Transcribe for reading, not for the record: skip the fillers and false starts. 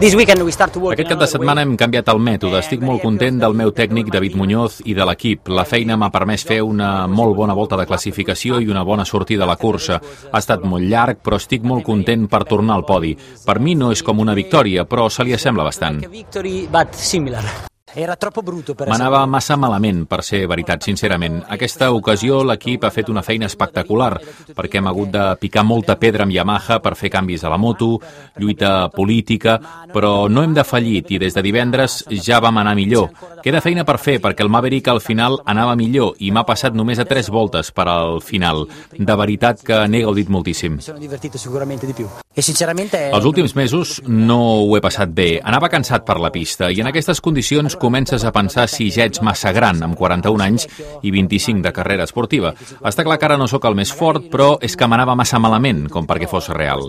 Aquest cap de setmana hem canviat el mètode. Estic molt content del meu tècnic David Muñoz i de l'equip. La feina m'ha permès fer una molt bona volta de classificació i una bona sortida a la cursa. Ha estat molt llarg, però estic molt content per tornar al podi. Per mi no és com una victòria, però se li assembla bastant. M'anava massa malament, per ser veritat, sincerament. Aquesta ocasió l'equip ha fet una feina espectacular, perquè hem hagut de picar molta pedra amb Yamaha per fer canvis a la moto, lluita política, però no hem defallit i des de divendres ja vam anar millor. Queda feina per fer, perquè el Maverick al final anava millor i m'ha passat només a 3 voltes per al final. De veritat que n'he gaudit moltíssim. Els últims mesos no ho he passat bé. Anava cansat per la pista i en aquestes condicions comences a pensar si ja ets massa gran, amb 41 anys i 25 de carrera esportiva. Està clar que ara no sóc el més fort, però és que m'anava massa malament com perquè fos real.